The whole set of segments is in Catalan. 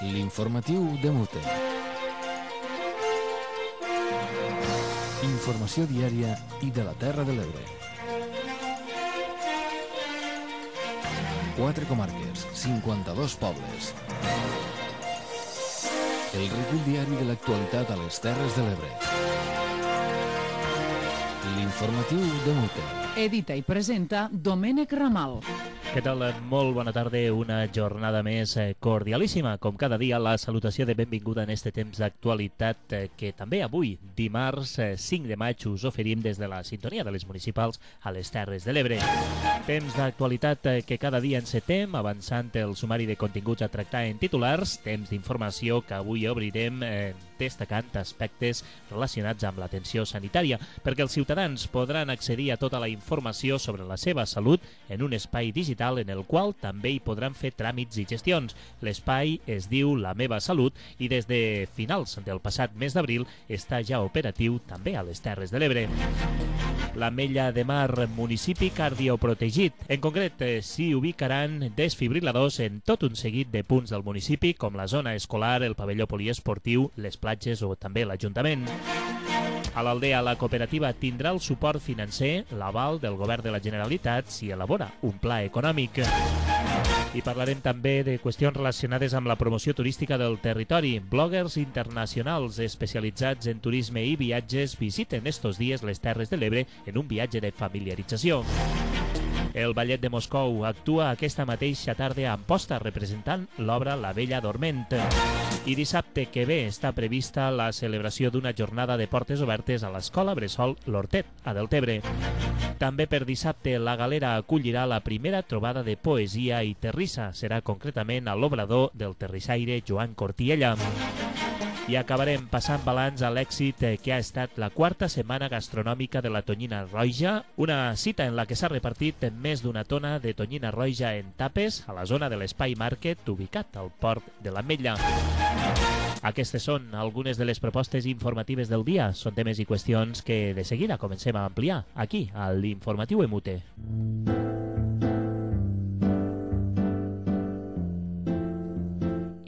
L'informatiu de Mute. Informació diària i de la Terra de l'Ebre. 4 comarques, 52 pobles. El recull diari de l'actualitat a les Terres de l'Ebre. L'informatiu de Mute. Edita i presenta Domènec Ramal. Què tal? Molt bona tarda, una jornada més cordialíssima. Com cada dia, la salutació de benvinguda en este temps d'actualitat que també avui, dimarts 5 de maig, us oferim des de la sintonia de les municipals a les Terres de l'Ebre. Temps d'actualitat que cada dia encetem, avançant el sumari de continguts a tractar en titulars, temps d'informació que avui obrirem destacant aspectes relacionats amb l'atenció sanitària, perquè els ciutadans podran accedir a tota la informació sobre la seva salut en un espai digital en el qual també hi podran fer tràmits i gestions. L'espai es diu La Meva Salut i des de finals del passat mes d'abril està ja operatiu també a les Terres de l'Ebre. L'Ametlla de Mar, municipi cardioprotegit. En concret, s'hi ubicaran desfibriladors en tot un seguit de punts del municipi, com la zona escolar, el pavelló poliesportiu, les platges o també l'Ajuntament. A l'Aldea, la cooperativa tindrà el suport financer, l'aval del Govern de la Generalitat si elabora un pla econòmic. I parlarem també de qüestions relacionades amb la promoció turística del territori. Bloggers internacionals especialitzats en turisme i viatges visiten estos dies les Terres de l'Ebre en un viatge de familiarització. El Ballet de Moscou actua aquesta mateixa tarda a Amposta representant l'obra La Bella Dorment. I dissabte que ve està prevista la celebració d'una jornada de portes obertes a l'Escola Bressol L'Hortet, a Deltebre. També per dissabte la Galera acollirà la primera trobada de poesia i terrissa. Serà concretament a l'obrador del terrissaire Joan Cortiella. I acabarem passant balanç a l'èxit que ha estat la 4a setmana gastronòmica de la tonyina roja, una cita en la que s'ha repartit més d'una tona de tonyina roja en tapes a la zona de l'Espai Market ubicat al port de l'Ametlla. Aquestes són algunes de les propostes informatives del dia. Són temes i qüestions que de seguida comencem a ampliar aquí, a l'Informatiu Emute.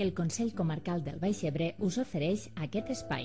El Consell Comarcal del Baix Ebre us ofereix aquest espai.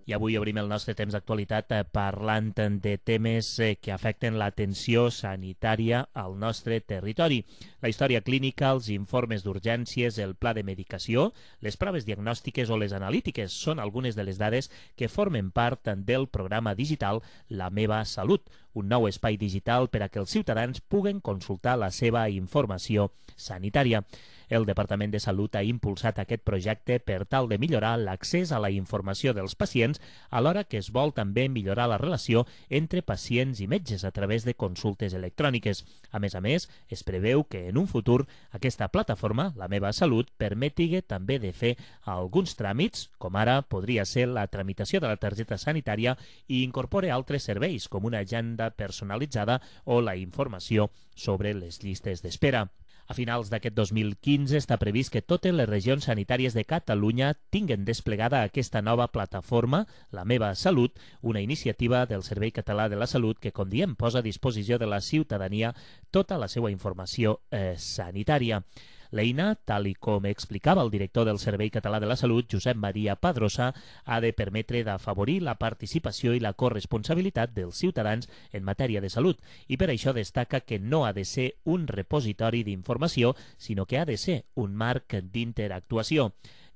I avui obrim el nostre temps d'actualitat parlant de temes que afecten l'atenció sanitària al nostre territori. La història clínica, els informes d'urgències, el pla de medicació, les proves diagnòstiques o les analítiques són algunes de les dades que formen part del programa digital La Meva Salut, un nou espai digital per a que els ciutadans puguen consultar la seva informació sanitària. El Departament de Salut ha impulsat aquest projecte per tal de millorar l'accés a la informació dels pacients, alhora que es vol també millorar la relació entre pacients i metges a través de consultes electròniques. A més, es preveu que en un futur aquesta plataforma, La Meva Salut, permeti també de fer alguns tràmits, com ara podria ser la tramitació de la targeta sanitària, i incorpore altres serveis, com una agenda personalitzada o la informació sobre les llistes d'espera. A finals d'aquest 2015 està previst que totes les regions sanitàries de Catalunya tinguen desplegada aquesta nova plataforma, La Meva Salut, una iniciativa del Servei Català de la Salut que, com diem, posa a disposició de la ciutadania tota la seva informació sanitària. L'eina, tal i com explicava el director del Servei Català de la Salut, Josep Maria Padrosa, ha de permetre d'afavorir la participació i la corresponsabilitat dels ciutadans en matèria de salut i per això destaca que no ha de ser un repositori d'informació, sinó que ha de ser un marc d'interactuació.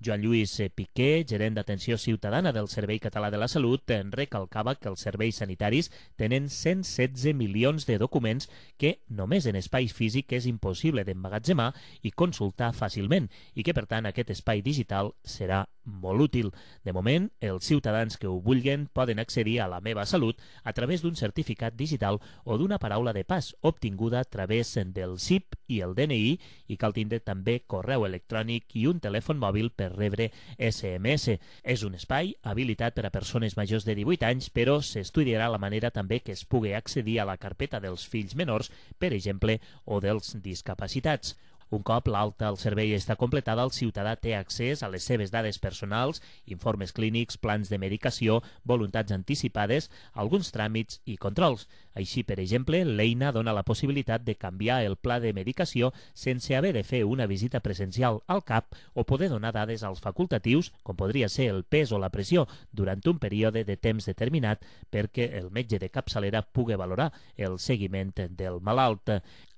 Joan Lluís Piqué, gerent d'atenció ciutadana del Servei Català de la Salut, recalcava que els serveis sanitaris tenen 116 milions de documents que només en espai físic és impossible d'emmagatzemar i consultar fàcilment i que, per tant, aquest espai digital serà molt útil. De moment, els ciutadans que ho vulguin poden accedir a La Meva Salut a través d'un certificat digital o d'una paraula de pas obtinguda a través del CIP i el DNI, i cal tindre també correu electrònic i un telèfon mòbil per rebre SMS. És un espai habilitat per a persones majors de 18 anys, però s'estudiarà la manera també que es pugui accedir a la carpeta dels fills menors, per exemple, o dels discapacitats. Un cop l'alta al servei està completada, el ciutadà té accés a les seves dades personals, informes clínics, plans de medicació, voluntats anticipades, alguns tràmits i controls. Així, per exemple, l'eina dona la possibilitat de canviar el pla de medicació sense haver de fer una visita presencial al CAP o poder donar dades als facultatius, com podria ser el pes o la pressió, durant un període de temps determinat perquè el metge de capçalera pugui valorar el seguiment del malalt.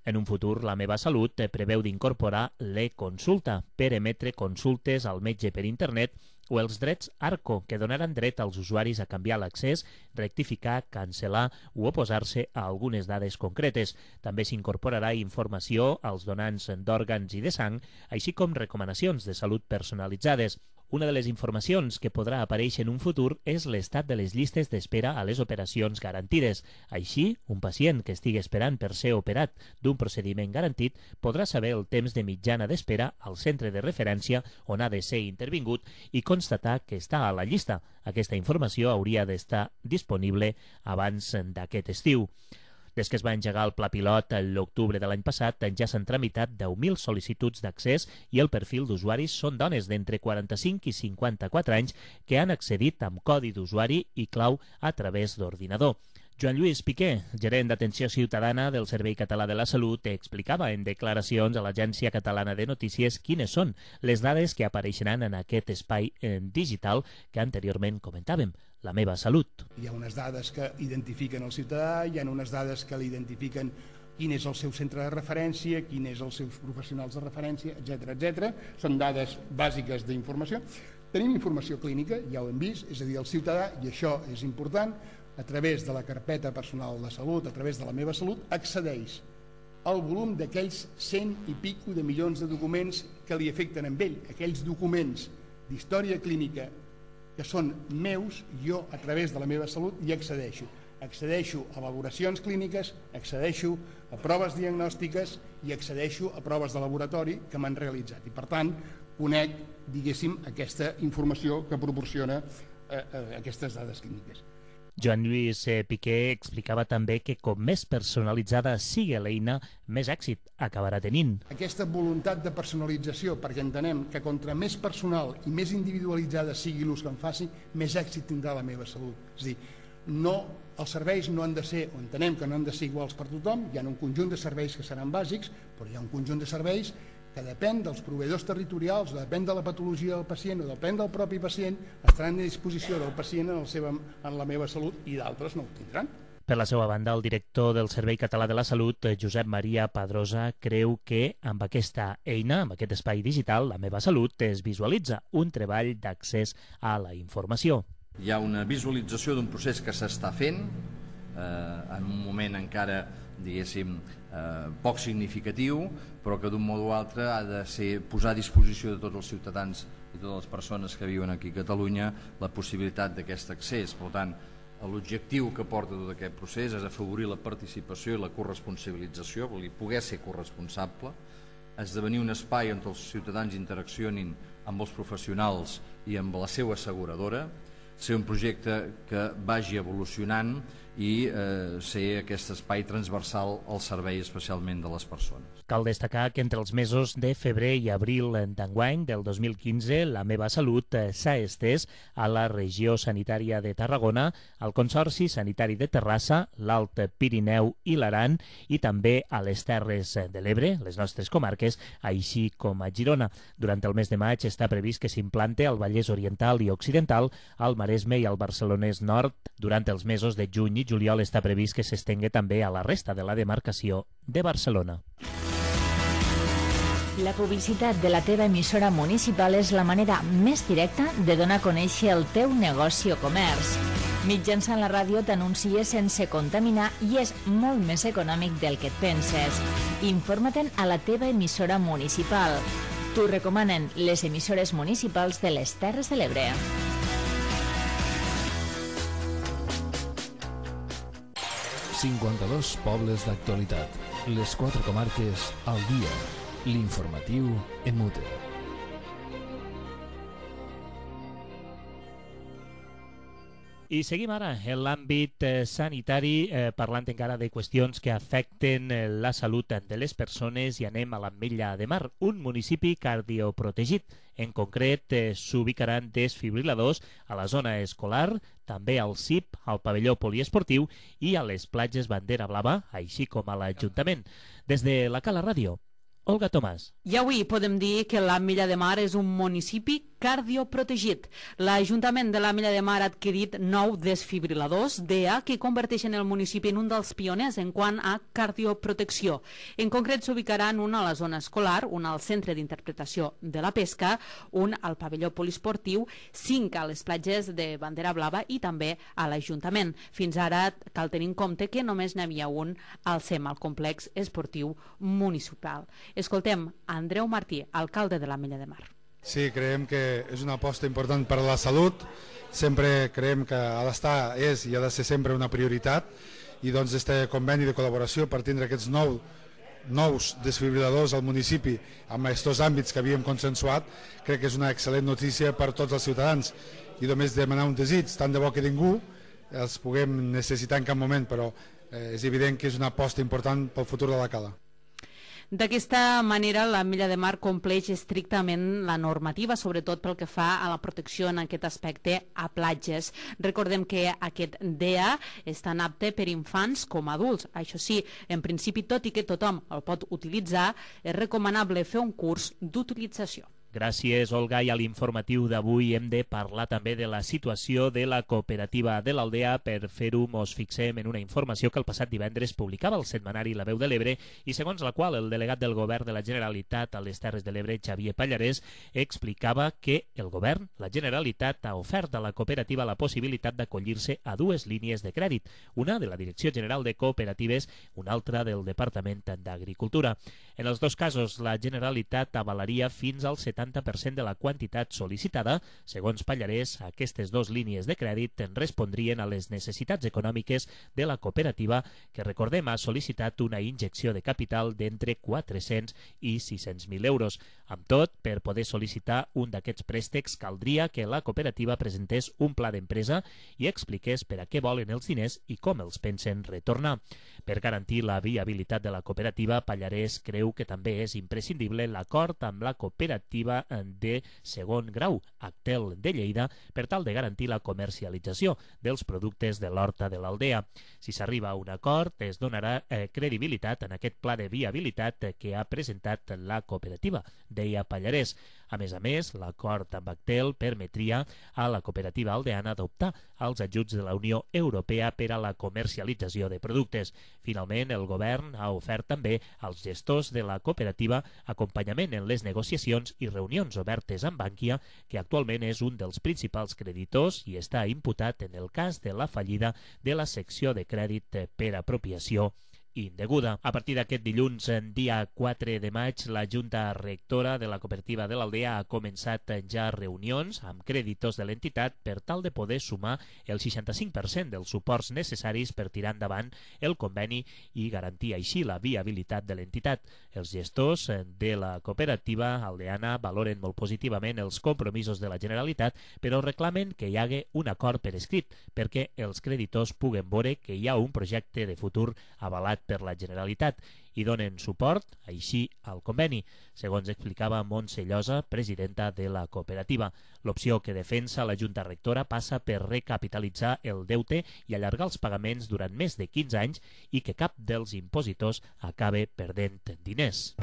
En un futur, La meva salut preveu d'incorporar l'e-consulta per emetre consultes al metge per internet o els drets ARCO, que donaran dret als usuaris a canviar l'accés, rectificar, cancel·lar o oposar-se a algunes dades concretes. També s'incorporarà informació als donants d'òrgans i de sang, així com recomanacions de salut personalitzades. Una de les informacions que podrà aparèixer en un futur és l'estat de les llistes d'espera a les operacions garantides. Així, un pacient que estigui esperant per ser operat d'un procediment garantit podrà saber el temps de mitjana d'espera al centre de referència on ha de ser intervingut i constatar que està a la llista. Aquesta informació hauria d'estar disponible abans d'aquest estiu. Des que es va engegar el pla pilot l'octubre de l'any passat, ja s'han tramitat 10.000 sol·licituds d'accés i el perfil d'usuaris són dones d'entre 45 i 54 anys que han accedit amb codi d'usuari i clau a través d'ordinador. Joan Lluís Piqué, gerent d'Atenció Ciutadana del Servei Català de la Salut, explicava en declaracions a l'Agència Catalana de Notícies quines són les dades que apareixeran en aquest espai digital que anteriorment comentàvem. La meva salut. Hi ha unes dades que identifiquen el ciutadà, hi ha unes dades que l'identifiquen quin és el seu centre de referència, quin és els seus professionals de referència, etc. Són dades bàsiques d'informació. Tenim informació clínica, ja ho hem vist, és a dir, el ciutadà, i això és important, a través de la carpeta personal de salut, a través de La meva salut, accedeix al volum d'aquells 100 i pico de milions de documents que li afecten a ell, aquells documents d'història clínica que són meus, jo a través de La meva salut hi accedeixo. Accedeixo a valoracions clíniques, accedeixo a proves diagnòstiques i accedeixo a proves de laboratori que m'han realitzat. I per tant, conec, diguéssim, aquesta informació que proporciona aquestes dades clíniques. Joan Lluís Piqué explicava també que com més personalitzada sigui l'eina, més èxit acabarà tenint. Aquesta voluntat de personalització, perquè entenem que contra més personal i més individualitzada sigui l'ús que en faci, més èxit tindrà La meva salut. És a dir, els serveis no han de ser, o entenem que no han de ser iguals per tothom, hi ha un conjunt de serveis que seran bàsics, però hi ha un conjunt de serveis que depèn dels proveïdors territorials, o depèn de la patologia del pacient, o depèn del propi pacient, estaran a disposició del pacient en La meva salut i d'altres no ho tindran. Per la seva banda, el director del Servei Català de la Salut, Josep Maria Padrosa, creu que amb aquesta eina, amb aquest espai digital, La meva salut, es visualitza un treball d'accés a la informació. Hi ha una visualització d'un procés que s'està fent, en un moment encara, diguéssim, poc significatiu, però que d'un modo o altre ha de ser posar a disposició de tots els ciutadans i totes les persones que viuen aquí a Catalunya la possibilitat d'aquest accés. Per tant, l'objectiu que porta tot aquest procés és afavorir la participació i la corresponsabilització, vol dir poder ser corresponsable, esdevenir un espai on els ciutadans interaccionin amb els professionals i amb la seva asseguradora, ser un projecte que vagi evolucionant i ser aquest espai transversal al servei especialment de les persones. Cal destacar que entre els mesos de febrer i abril d'enguany del 2015 La meva salut s'ha estès a la regió sanitària de Tarragona, al Consorci Sanitari de Terrassa, l'Alt Pirineu i l'Aran i també a les Terres de l'Ebre, les nostres comarques, així com a Girona. Durant el mes de maig està previst que s'implante al Vallès Oriental i Occidental, al Maresme i al Barcelonès Nord. Durant els mesos de juny i juliol està previst que s'estengui també a la resta de la demarcació de Barcelona. La publicitat de la teva emissora municipal és la manera més directa de donar a conèixer el teu negoci o comerç. Mitjançant la ràdio t'anuncies sense contaminar i és molt més econòmic del que et penses. Informa-te'n a la teva emissora municipal. T'ho recomanen les emissores municipals de les Terres de l'Ebre. ...52 pobles d'actualitat. Les 4 comarques al dia. L'informatiu en Mute. I seguim ara en l'àmbit sanitari, parlant encara de qüestions que afecten la salut de les persones, i anem a l'Ametlla de Mar, un municipi cardioprotegit. En concret, s'ubicaran desfibriladors a la zona escolar, també al CIP, al pavelló poliesportiu i a les platges Bandera Blava, així com a l'Ajuntament. Des de la Cala Ràdio, Olga Tomàs. I avui podem dir que l'Ametlla de Mar és un municipi cardioprotegit. L'Ajuntament de l'Ametlla de Mar ha adquirit 9 desfibriladors DEA que converteixen el municipi en un dels pioners en quant a cardioprotecció. En concret s'ubicaran un a la zona escolar, un al Centre d'Interpretació de la Pesca, un al pavelló poliesportiu, 5 a les platges de Bandera Blava i també a l'Ajuntament. Fins ara cal tenir en compte que només n'hi havia un al CEM, al complex esportiu municipal. Escoltem Andreu Martí, alcalde de l'Ametlla de Mar. Sí, creiem que és una aposta important per a la salut. Sempre creiem que ha d'estar, és i ha de ser sempre una prioritat, i doncs este conveni de col·laboració per tindre aquests nous desfibriladors al municipi amb aquests àmbits que havíem consensuat, crec que és una excel·lent notícia per tots els ciutadans. I només demanar un desig, tant de bo que ningú els puguem necessitar en cap moment, però és evident que és una aposta important pel futur de la Cala. D'aquesta manera, l'Ametlla de Mar compleix estrictament la normativa, sobretot pel que fa a la protecció en aquest aspecte a platges. Recordem que aquest DEA és tan apte per infants com adults. Això sí, en principi, tot i que tothom el pot utilitzar, és recomanable fer un curs d'utilització. Gràcies, Olga. I a l'informatiu d'avui hem de parlar també de la situació de la cooperativa de l'Aldea. Per fer-ho, mos fixem en una informació que el passat divendres publicava el setmanari La Veu de l'Ebre i segons la qual el delegat del Govern de la Generalitat a les Terres de l'Ebre, Xavier Pallarès, explicava que el Govern, la Generalitat, ha ofert a la cooperativa la possibilitat d'acollir-se a 2 línies de crèdit, una de la Direcció General de Cooperatives, una altra del Departament d'Agricultura. En els 2 casos, la Generalitat avalaria fins al 70% de la quantitat sol·licitada. Segons Pallarès, aquestes 2 línies de crèdit respondrien a les necessitats econòmiques de la cooperativa, que, recordem, ha sol·licitat una injecció de capital d'entre 400 i 600.000 euros. Amb tot, per poder sol·licitar un d'aquests préstecs caldria que la cooperativa presentés un pla d'empresa i expliqués per a què volen els diners i com els pensen retornar. Per garantir la viabilitat de la cooperativa, Pallarès creu que també és imprescindible l'acord amb la cooperativa de segon grau, Actel de Lleida, per tal de garantir la comercialització dels productes de l'horta de l'Aldea. Si s'arriba a un acord, es donarà credibilitat en aquest pla de viabilitat que ha presentat la cooperativa, deia Pallarès. A més, l'acord amb Actel permetria a la cooperativa aldeana adoptar els ajuts de la Unió Europea per a la comercialització de productes. Finalment, el govern ha ofert també als gestors de la cooperativa acompanyament en les negociacions i reunions obertes amb Bankia, que actualment és un dels principals creditors i està imputat en el cas de la fallida de la secció de crèdit per apropiació indeguda. A partir d'aquest dilluns, dia 4 de maig, la Junta Rectora de la Cooperativa de l'Aldea ha començat ja reunions amb creditors de l'entitat per tal de poder sumar el 65% dels suports necessaris per tirar endavant el conveni i garantir així la viabilitat de l'entitat. Els gestors de la cooperativa aldeana valoren molt positivament els compromisos de la Generalitat, però reclamen que hi hagi un acord per escrit perquè els creditors puguen veure que hi ha un projecte de futur avalat per la Generalitat i donen suport, així, al conveni, segons explicava Montse Llosa, presidenta de la cooperativa. L'opció que defensa la Junta Rectora passa per recapitalitzar el deute i allargar els pagaments durant més de 15 anys i que cap dels impositors acabe perdent diners.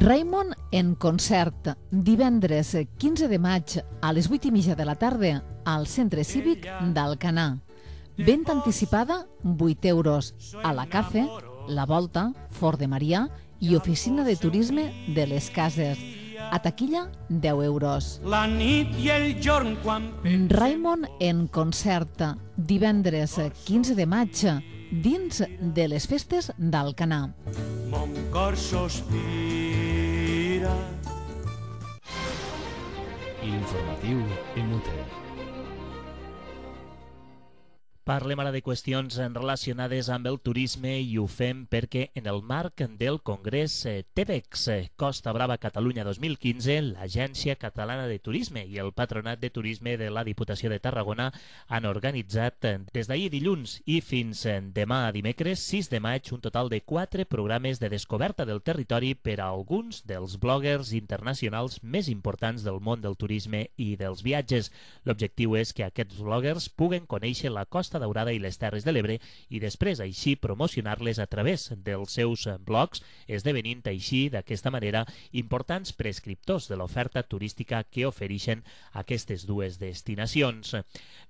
Raimon en concert, divendres 15 de maig a les 8:30 de la tarda al Centre Cívic d'Alcanar. Venda anticipada, 8 euros. A la Cafe, La Volta, Fort de Marià i Oficina de Turisme de les Cases. A taquilla, 10 euros. La nit i el jorn quan... Raimon en concert, divendres 15 de maig, dins de les festes d'Alcanar. Mon cor sospira. L'informatiu en Mute. Parlem ara de qüestions relacionades amb el turisme i ho fem perquè en el marc del Congrés TEBEX Costa Brava Catalunya 2015, l'Agència Catalana de Turisme i el Patronat de Turisme de la Diputació de Tarragona han organitzat des d'ahir dilluns i fins demà dimecres 6 de maig un total de 4 programes de descoberta del territori per a alguns dels bloggers internacionals més importants del món del turisme i dels viatges. L'objectiu és que aquests bloggers puguen conèixer la Costa Daurada i les Terres de l'Ebre i després així promocionar-les a través dels seus blogs, esdevenint així d'aquesta manera importants prescriptors de l'oferta turística que ofereixen aquestes dues destinacions.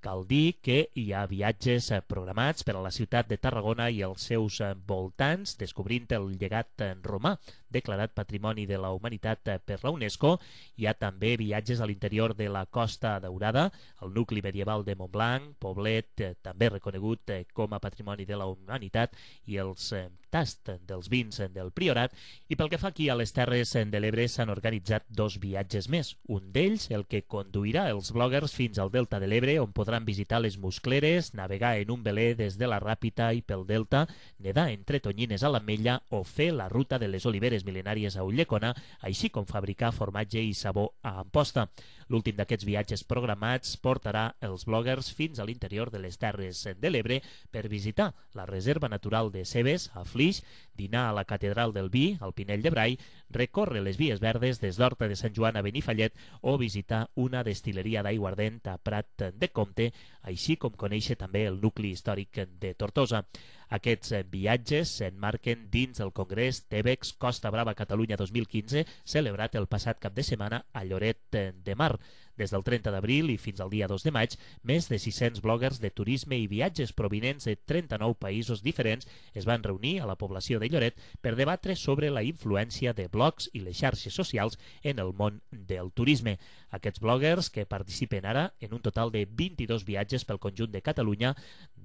Cal dir que hi ha viatges programats per a la ciutat de Tarragona i els seus voltants, descobrint el llegat romà declarat Patrimoni de la Humanitat per la UNESCO. Hi ha també viatges a l'interior de la Costa Daurada, el nucli medieval de Montblanc, Poblet, també reconegut com a Patrimoni de la Humanitat, i els tast dels vins del Priorat. I pel que fa aquí a les Terres de l'Ebre s'han organitzat 2 viatges més. Un d'ells, el que conduirà els bloggers fins al Delta de l'Ebre, on podran visitar les Muscleres, navegar en un veler des de la Ràpita i pel Delta, nedar entre tonyines a l'Ametlla o fer la ruta de les oliveres mil·lenàries a Ulldecona, així com fabricar formatge i sabó a Amposta. L'últim d'aquests viatges programats portarà els bloggers fins a l'interior de les Terres de l'Ebre per visitar la Reserva Natural de Cebes, a Flix, dinar a la Catedral del Vi, al Pinell de Brai, recórrer les vies verdes des d'Horta de Sant Joan a Benifallet o visitar una destil·leria d'aiguardent a Prat de Comte, així com conèixer també el nucli històric de Tortosa. Aquests viatges s'emmarquen dins del Congrés TEBEX Costa Brava Catalunya 2015, celebrat el passat cap de setmana a Lloret de Mar. Des del 30 d'abril i fins al dia 2 de maig, més de 600 bloggers de turisme i viatges provinents de 39 països diferents es van reunir a la població de Lloret per debatre sobre la influència de blogs i les xarxes socials en el món del turisme. Aquests bloggers, que participen ara en un total de 22 viatges pel conjunt de Catalunya,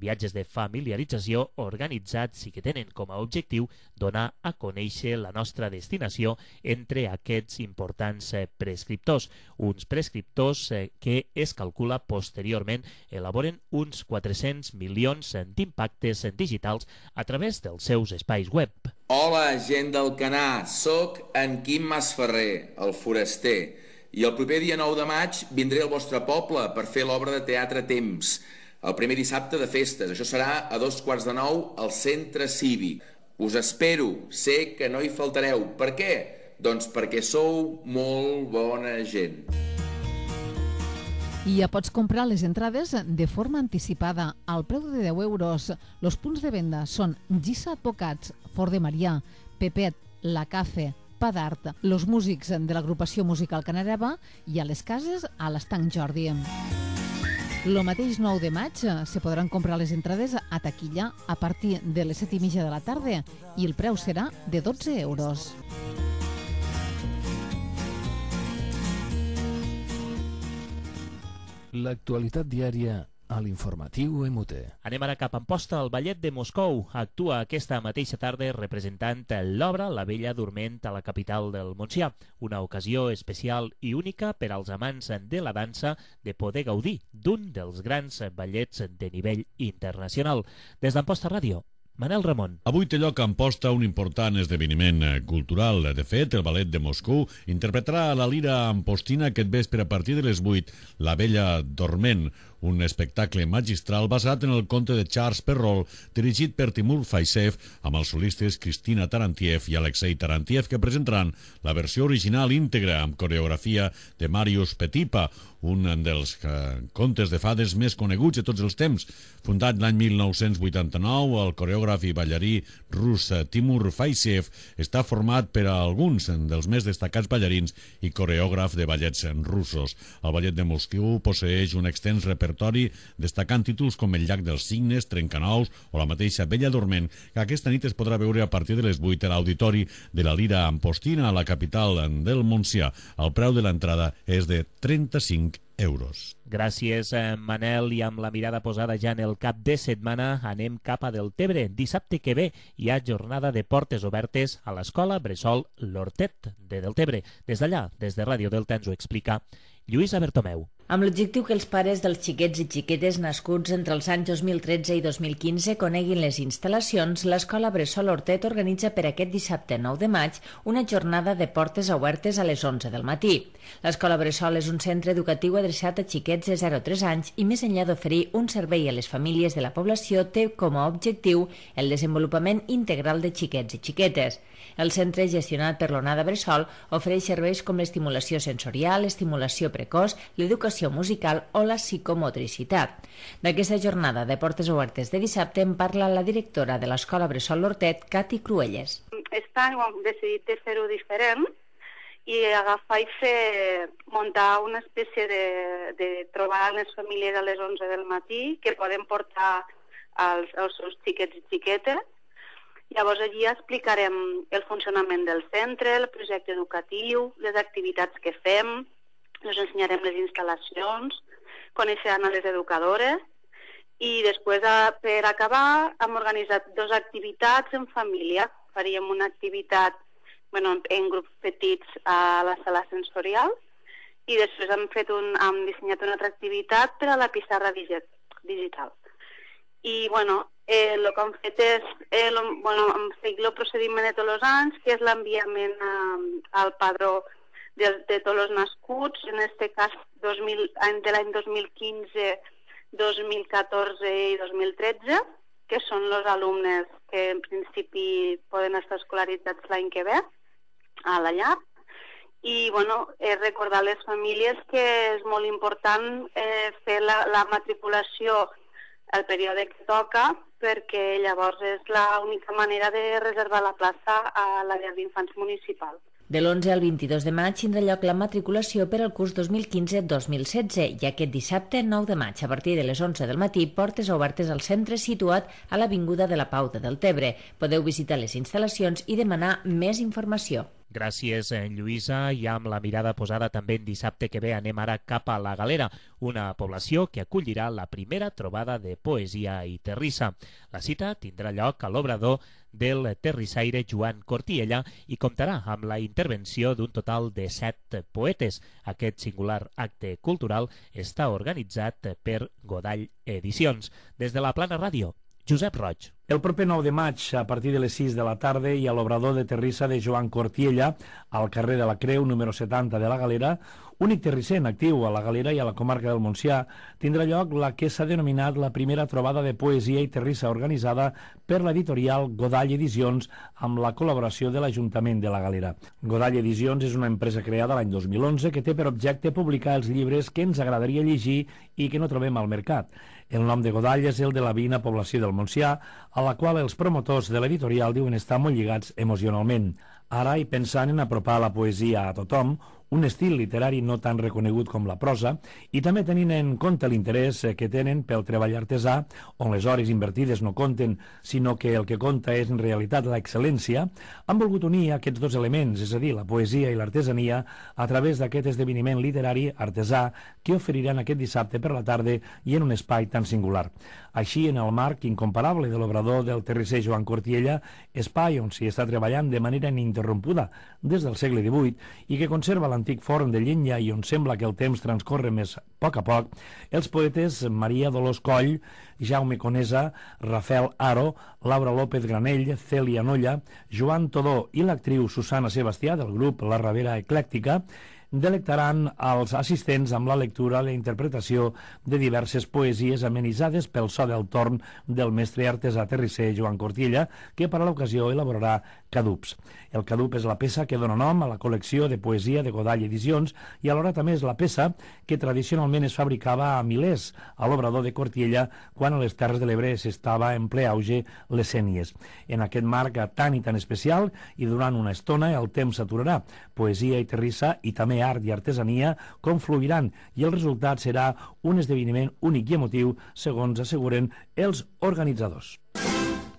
viatges de familiarització organitzats i que tenen com a objectiu donar a conèixer la nostra destinació entre aquests importants prescriptors. Uns prescriptors que es calcula posteriorment elaboren uns 400 milions d'impactes digitals a través dels seus espais web. Hola, gent del Canà, soc en Quim Masferrer, el foraster, i el proper dia 9 de maig vindré al vostre poble per fer l'obra de teatre Temps, el primer dissabte de festes. Això serà a 8:45 al Centre Cívic. Us espero, sé que no hi faltareu. Per què? Doncs perquè sou molt bona gent. I ja pots comprar les entrades de forma anticipada al preu de 10 euros. Els punts de venda són Gissa Advocats, Fort de Marià, Pepet, La Cafe, Pa d'Art, los músics de l'agrupació musical Canareva i a les cases a l'Estanc Jordi. Lo mateix 9 de maig se podran comprar les entrades a taquilla a partir de les 7:30 de la tarda i el preu serà de 12 euros. L'actualitat diària a l'informatiu MUT. Anem ara cap a Amposta. El Ballet de Moscou actua aquesta mateixa tarda representant l'obra La Bella Dorment a la capital del Montsià, una ocasió especial i única per als amants de la dansa de poder gaudir d'un dels grans ballets de nivell internacional. Des d'Amposta Ràdio, Manel Ramon. Avui té lloc a Amposta un important esdeveniment cultural. De fet, el Ballet de Moscou interpretarà a la Lira Ampostina aquest vespre a partir de les 8 La Bella Dorment, un espectacle magistral basat en el conte de Charles Perrault, dirigit per Timur Faisev, amb els solistes Cristina Tarantiev i Alexei Tarantiev, que presentaran la versió original íntegra amb coreografia de Marius Petipa, un dels contes de fades més coneguts de tots els temps. Fundat l'any 1989, el coreògraf i ballarí rus Timur Faisev està format per a alguns dels més destacats ballarins i coreògraf de ballets russos. El Ballet de Moscou posseeix un extens repertori destacant títols com El llac dels cignes, Trencanous o la mateixa Bella Dorment, que aquesta nit es podrà veure a partir de les 8 a l'auditori de la Lira Ampostina a la capital del Montsià. El preu de l'entrada és de 35 euros. Gràcies, Manel. I amb la mirada posada ja en el cap de setmana, anem cap a Deltebre. Dissabte que ve hi ha jornada de portes obertes a l'escola Bressol L'Hortet de Deltebre. Des d'allà, des de Ràdio Delta, ens ho explica Lluïsa Bertomeu. Amb l'objectiu que els pares dels xiquets i xiquetes nascuts entre els anys 2013 i 2015 coneguin les instal·lacions, l'Escola Bressol Hortet organitza per aquest dissabte 9 de maig una jornada de portes obertes a les 11 del matí. L'Escola Bressol és un centre educatiu adreçat a xiquets de 0 a 3 anys i més enllà d'oferir un servei a les famílies de la població té com a objectiu el desenvolupament integral de xiquets i xiquetes. El centre, gestionat per l'Onada Bressol, ofereix serveis com l'estimulació sensorial, l'estimulació precoç, l'educació musical o la psicomotricitat. D'aquesta jornada de portes obertes de dissabte en parla la directora de l'Escola Bressol Hortet, Cati Cruelles. Aquest any hem decidit de fer-ho diferent i agafar i muntar una espècie de trobar les famílies a les 11 del matí que poden portar els seus xiquets i xiquetes. Llavors allí explicarem el funcionament del centre, el projecte educatiu, les activitats que fem, us ensenyarem les instal·lacions, coneixeran a les educadores i després, per acabar, hem organitzat 2 activitats en família. Faríem una activitat en grups petits a la sala sensorial i després hem dissenyat una altra activitat per a la pissarra digital. I, el que hem fet és hem seguit el procediment de tots els anys, que és l'enviament al padró de tots els nascuts, en aquest cas de l'any 2015, 2014 i 2013, que són els alumnes que en principi poden estar escolaritzats l'any que ve a la llar. I recordar a les famílies que és molt important fer la matriculació el període que toca, perquè llavors és l'única manera de reservar la plaça a la llar d'infants municipal. De l'11 al 22 de maig tindrà lloc la matriculació per al curs 2015-2016 i aquest dissabte 9 de maig, a partir de les 11 del matí, portes obertes al centre situat a l'Avinguda de la Pau de Deltebre. Podeu visitar les instal·lacions i demanar més informació. Gràcies, Lluïsa. I amb la mirada posada també en dissabte que ve anem ara cap a la Galera, una població que acollirà la primera trobada de poesia i terrissa. La cita tindrà lloc a l'obrador del terrissaire Joan Cortiella i comptarà amb la intervenció d'un total de 7 poetes. Aquest singular acte cultural està organitzat per Godall Edicions. Des de la Plana Ràdio, Josep Roig. El proper 9 de maig, a partir de les 6 de la tarda, i a l'obrador de terrissa de Joan Cortiella, al carrer de la Creu, número 70 de la Galera, únic terrisser en actiu a la Galera i a la comarca del Montsià, tindrà lloc la que s'ha denominat la primera trobada de poesia i terrissa organitzada per l'editorial Godall Edicions amb la col·laboració de l'Ajuntament de la Galera. Godall Edicions és una empresa creada l'any 2011 que té per objecte publicar els llibres que ens agradaria llegir i que no trobem al mercat. El nom de Godall és el de la veïna població del Montsià, a la qual els promotors de l'editorial diuen estar molt lligats emocionalment. Ara, i pensant en apropar la poesia a tothom, un estil literari no tan reconegut com la prosa, i també tenint en compte l'interès que tenen pel treball artesà, on les hores invertides no compten, sinó que el que compta és en realitat l'excel·lència, han volgut unir aquests 2 elements, és a dir, la poesia i l'artesania, a través d'aquest esdeveniment literari artesà que oferiran aquest dissabte per la tarda i en un espai tan singular. Així, en el marc incomparable de l'obrador del terrisser Joan Cortiella, espai on s'hi està treballant de manera ininterrompuda des del segle XVIII i que conserva l'antic forn de llenya i on sembla que el temps transcorre més a poc, els poetes Maria Dolors Coll, Jaume Conesa, Rafael Aro, Laura López Granell, Cèlia Nolla, Joan Todó i l'actriu Susana Sebastià del grup La Ravera Eclèctica delectaran als assistents amb la lectura i la interpretació de diverses poesies amenitzades pel so del torn del mestre artesà terrisser Joan Cortiella, que per a l'ocasió elaborarà Cadups. El Cadup és la peça que dona nom a la col·lecció de poesia de Godall Edicions i alhora també és la peça que tradicionalment es fabricava a milers a l'obrador de Cortiella quan a les Terres de l'Ebre s'estava en ple auge les sénies. En aquest marc tan i tan especial i durant una estona el temps s'aturarà. Poesia i terrissa i també art i artesania confluiran i el resultat serà un esdeveniment únic i emotiu, segons asseguren els organitzadors.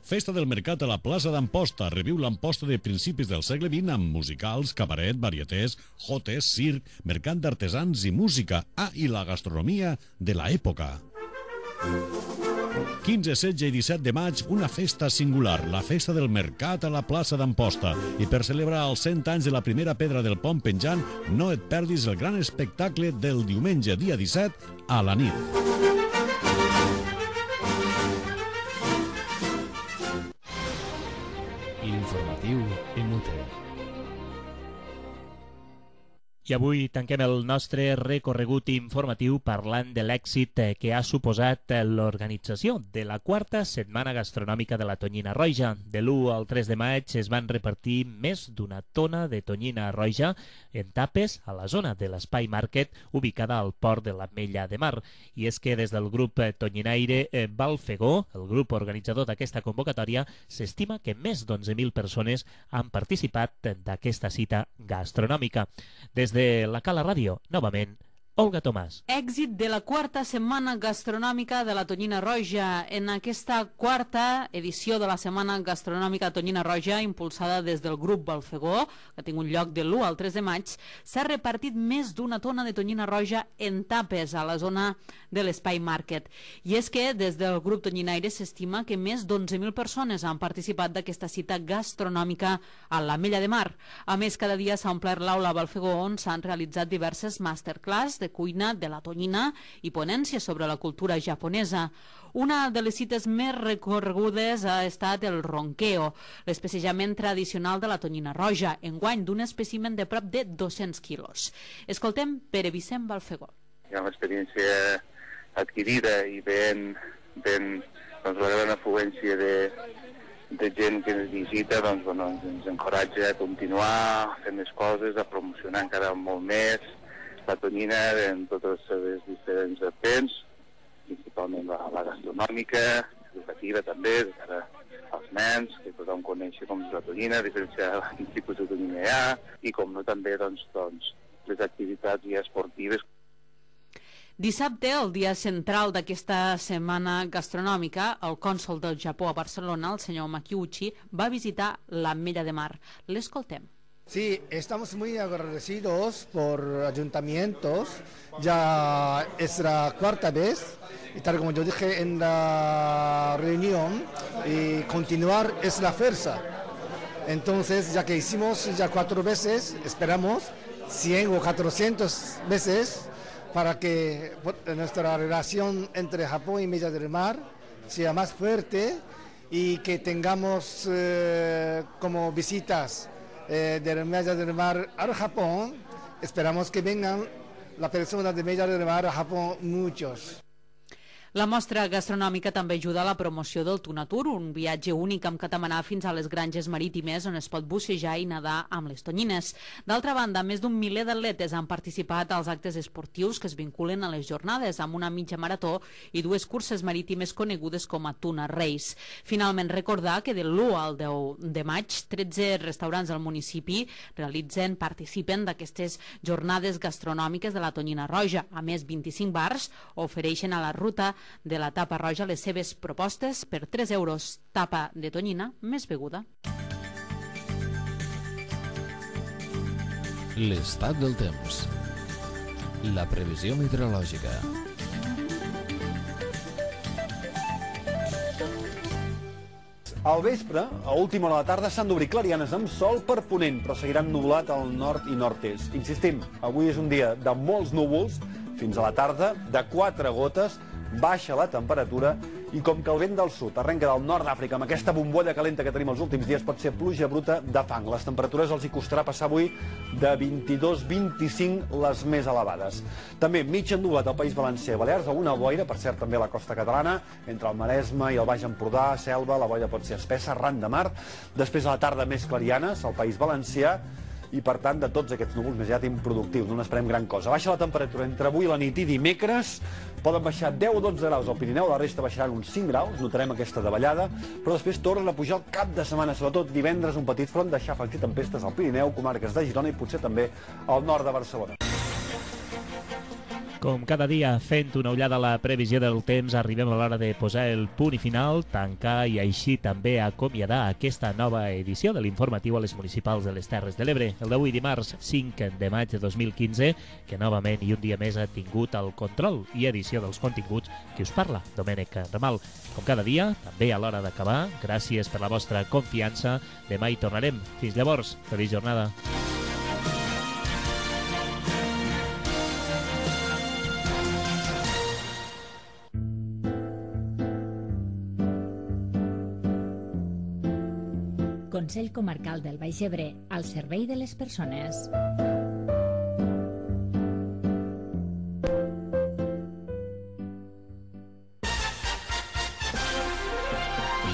Festa del Mercat a la plaça d'Amposta. Reviu l'Amposta de principis del segle XX amb musicals, cabaret, varietés, jotes, circ, mercat d'artesans i música. I la gastronomia de l'època. 15, 16 i 17 de maig, una festa singular, la festa del mercat a la plaça d'Amposta. I per celebrar els 100 anys de la primera pedra del pont penjant, no et perdis el gran espectacle del diumenge, dia 17, a la nit. L'informatiu MUT. I avui tanquem el nostre recorregut informatiu parlant de l'èxit que ha suposat l'organització de la quarta setmana gastronòmica de la tonyina roja. De l'1 al 3 de maig es van repartir més d'una tona de tonyina roja en tapes a la zona de l'Espai Market ubicada al port de l'Ametlla de Mar. I és que des del grup tonyinaire Balfegó, el grup organitzador d'aquesta convocatòria, s'estima que més d'11.000 persones han participat d'aquesta cita gastronòmica. Des de la Cala Ràdio, novament, Olga Tomàs. Èxit de la quarta setmana gastronòmica de la tonyina roja. En aquesta quarta edició de la setmana gastronòmica tonyina roja, impulsada des del grup Balfegó, que ha tingut lloc de l'1 al 3 de maig, s'ha repartit més d'una tona de tonyina roja en tapes a la zona de l'Espai Market. I és que des del grup tonyinaire s'estima que més d'11.000 persones han participat d'aquesta cita gastronòmica a l'Ametlla de Mar. A més, cada dia s'ha omplert l'aula Balfegó, on s'han realitzat diverses masterclass de cuina de la tonyina i ponències sobre la cultura japonesa. Una de les cites més recorregudes ha estat el ronqueo, l'especejament tradicional de la tonyina roja, enguany d'un espècimen de prop de 200 quilos. Escoltem Pere Vicent Balfegó. Hi ha una experiència adquirida i doncs, la gran afluència de gent que ens visita ens encoratja a continuar, a fer més coses, a promocionar encara molt més la tonyina en totes les diferents vents, principalment la gastronòmica, educativa també, de cara als nens, que tothom coneixi com és la tonyina, diferenciar quin tipus de tonyina hi ha, i com no també doncs, les activitats ja esportives. Dissabte, el dia central d'aquesta setmana gastronòmica, el cònsol del Japó a Barcelona, el senyor Makiuchi, va visitar l'Ametlla de Mar. L'escoltem. Sí, estamos muy agradecidos por ayuntamientos, ya es la cuarta vez, y tal como yo dije en la reunión, y continuar es la fuerza. Entonces, ya que hicimos ya 4 veces, esperamos 100 o 400 veces para que nuestra relación entre Japón y Ametlla del Mar sea más fuerte y que tengamos como visitas de la Ametlla del Mar al Japón. Esperamos que vengan las personas de Ametlla del Mar a Japón muchos. La mostra gastronòmica també ajuda a la promoció del Tunatur, un viatge únic amb catamarà fins a les granges marítimes on es pot bussejar i nedar amb les tonyines. D'altra banda, més d'un miler d'atletes han participat als actes esportius que es vinculen a les jornades, amb una mitja marató i 2 curses marítimes conegudes com a Tuna Race. Finalment, recordar que de l'1 al 10 de maig, 13 restaurants del municipi participen d'aquestes jornades gastronòmiques de la tonyina roja. A més, 25 bars ofereixen a la ruta de la tapa roja les seves propostes per 3 euros, tapa de tonyina més beguda. L'estat del temps. La previsió meteorològica. Al vespre, a última hora de la tarda, s'han d'obrir clarianes amb sol per ponent, però seguiran nublat al nord i nord-est. Insistim, avui és un dia de molts núvols, fins a la tarda, de 4 gotes, baixa la temperatura i com que el vent del sud arrenca del nord d'Àfrica amb aquesta bombolla calenta que tenim els últims dies, pot ser pluja bruta de fang. Les temperatures els hi costarà passar avui de 22-25 les més elevades. També mig ennubulat al País Valencià i Balears, alguna boira, per cert també a la costa catalana, entre el Maresme i el Baix Empordà, Selva, la boira pot ser espessa, arran de mar. Després a la tarda més clarianes al País Valencià, i per tant de tots aquests núvols més aviat improductius, no n'esperem gran cosa. Baixa la temperatura entre avui la nit i dimecres, poden baixar 10 o 12 graus al Pirineu, la resta baixaran uns 5 graus, notarem aquesta davallada, però després tornen a pujar el cap de setmana, sobretot divendres, un petit front de xàfecs i tempestes al Pirineu, comarques de Girona i potser també al nord de Barcelona. Com cada dia, fent una ullada a la previsió del temps, arribem a l'hora de posar el punt i final, tancar i així també acomiadar aquesta nova edició de l'informatiu a les municipals de les Terres de l'Ebre. El d'avui dimarts 5 de maig de 2015, que novament i un dia més ha tingut el control i edició dels continguts que us parla, Domènec Ramal. Com cada dia, també a l'hora d'acabar, gràcies per la vostra confiança. Demà hi tornarem. Fins llavors, feliç jornada. Consell Comarcal del Baix Ebre, al servei de les persones.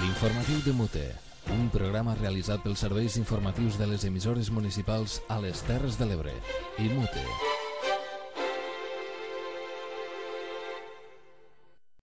L'informatiu de Mute, un programa realitzat pels serveis informatius de les emissores municipals a les Terres de l'Ebre i Mute.